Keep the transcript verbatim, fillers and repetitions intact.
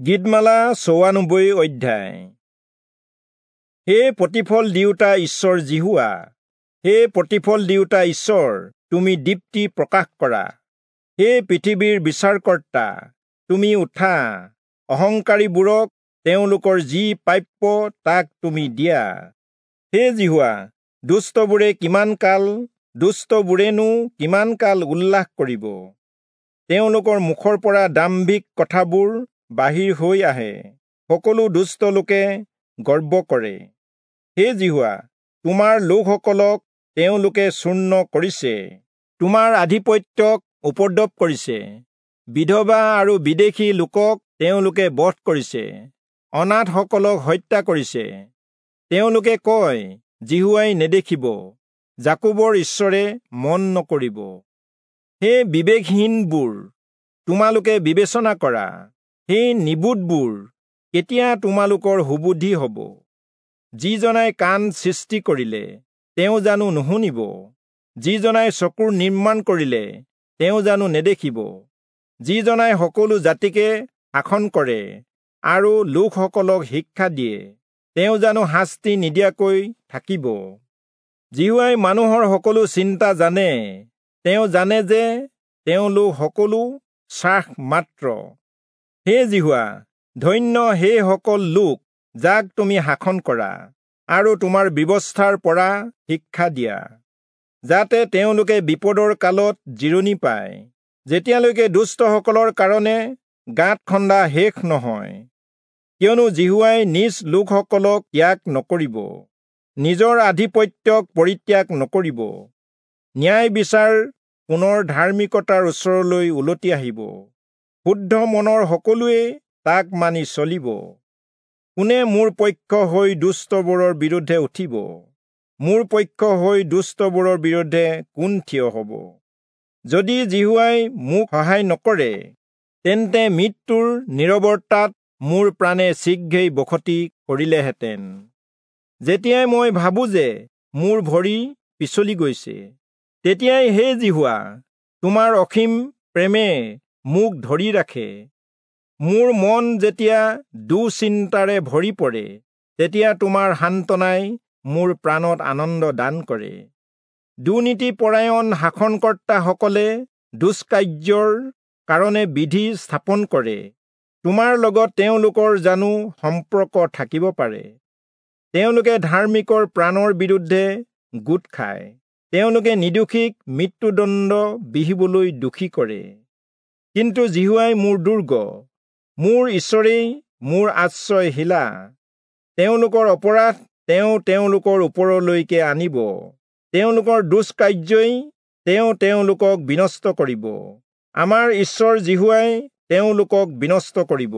গীতমালা চৌৰানব্বৈ অধ্যায়। হে প্ৰতিফল দিওঁতা ঈশ্বৰ যিহোৱা, হে প্ৰতিফল দিওঁতা ঈশ্বৰ, তুমি দীপ্তি প্ৰকাশ কৰা। হে পৃথিৱীৰ বিচাৰকৰ্তা, তুমি উঠা, অহংকাৰীবোৰক তেওঁলোকৰ যি প্ৰাপ্য তাক তুমি দিয়া। হে যিহোৱা, দুষ্টবোৰে কিমান কাল, দুষ্টবোৰেনো কিমান কাল উল্লাস কৰিব? তেওঁলোকৰ মুখৰ পৰা দাম্ভিক কথাবোৰ বাহিৰ হৈ আহে, সকলো দুষ্ট লোকে গৰ্ব কৰে। হে যিহোৱা, তোমাৰ লোকসকলক তেওঁলোকে চূৰ্ণ কৰিছে, তোমাৰ আধিপত্যক উপদ্ৰৱ কৰিছে। বিধৱা আৰু বিদেশী লোকক তেওঁলোকে বধ কৰিছে, অনাথসকলক হত্যা কৰিছে। তেওঁলোকে কয়, যিহোৱাই নেদেখিব, যাকোবৰ ঈশ্বৰে মন নকৰিব। হে বিবেকহীনবোৰ, তোমালোকে বিবেচনা কৰা। হে নিবোধবোৰ, কেতিয়া তোমালোকৰ সুবুদ্ধি হ'ব? যিজনাই কাণ সৃষ্টি কৰিলে, তেওঁ জানো নুশুনিব? যিজনাই চকুৰ নিৰ্মাণ কৰিলে, তেওঁ জানো নেদেখিব? যিজনাই সকলো জাতিকে শাসন কৰে আৰু লোকসকলক শিক্ষা দিয়ে, তেওঁ জানো শাস্তি নিদিয়াকৈ থাকিব? যিহোৱাই মানুহৰ সকলো চিন্তা জানে, তেওঁ জানে যে তেওঁলোক সকলো শ্বাস মাত্ৰ। হে যিহোৱা, ধন্য সেইসকল লোক যাক তুমি শাসন কৰা আৰু তোমাৰ ব্যৱস্থাৰ পৰা শিক্ষা দিয়া, যাতে তেওঁলোকে বিপদৰ কালত জিৰণি পায়, যেতিয়ালৈকে দুষ্টসকলৰ কাৰণে গাঁত খন্দা শেষ নহয়। কিয়নো যিহোৱাই নিজ লোকসকলক ত্যাগ নকৰিব, নিজৰ আধিপত্যক পৰিত্যাগ নকৰিব। ন্যায় বিচাৰ পুনৰ ধাৰ্মিকতাৰ ওচৰলৈ উলটি আহিব, শুদ্ধ মনৰ সকলোৱে তাক মানি চলিব। কোনে মোৰ পক্ষ হৈ দুষ্টবোৰৰ বিৰুদ্ধে উঠিব? মোৰ পক্ষ হৈ দুষ্টবোৰৰ বিৰুদ্ধে কোন থিয় হ'ব? যদি যিহোৱাই মোক সহায় নকৰে, তেন্তে মৃত্যুৰ নীৰৱতাত মোৰ প্ৰাণে শীঘ্ৰেই বসতি কৰিলেহেঁতেন। যেতিয়াই মই ভাবোঁ যে মোৰ ভৰি পিছলি গৈছে, তেতিয়াই হে যিহোৱা, তোমাৰ অসীম প্ৰেমে মোক ধৰি ৰাখে। মোৰ মন যেতিয়া দুচিন্তাৰে ভৰি পৰে, তেতিয়া তোমাৰ সান্তনাই মোৰ প্ৰাণত আনন্দ দান কৰে। দুৰ্নীতিপৰায়ণ শাসনকৰ্তাসকলে দুষ্কাৰ্যৰ কাৰণে বিধি স্থাপন কৰে, তোমাৰ লগত তেওঁলোকৰ জানো সম্পৰ্ক থাকিব পাৰে? তেওঁলোকে ধাৰ্মিকৰ প্ৰাণৰ বিৰুদ্ধে গোট খায়, তেওঁলোকে নিৰ্দোষীক মৃত্যুদণ্ড বিহিবলৈ দোষী কৰে। কিন্তু যিহোৱাই মোৰ দুৰ্গ, মোৰ ঈশ্বৰেই মোৰ আশ্ৰয় শিলা। তেওঁলোকৰ অপৰাধ তেওঁ তেওঁলোকৰ ওপৰলৈকে আনিব, তেওঁলোকৰ দুষ্কাৰ্যই তেওঁ তেওঁলোকক বিনষ্ট কৰিব। আমাৰ ঈশ্বৰ যিহোৱাই তেওঁলোকক বিনষ্ট কৰিব।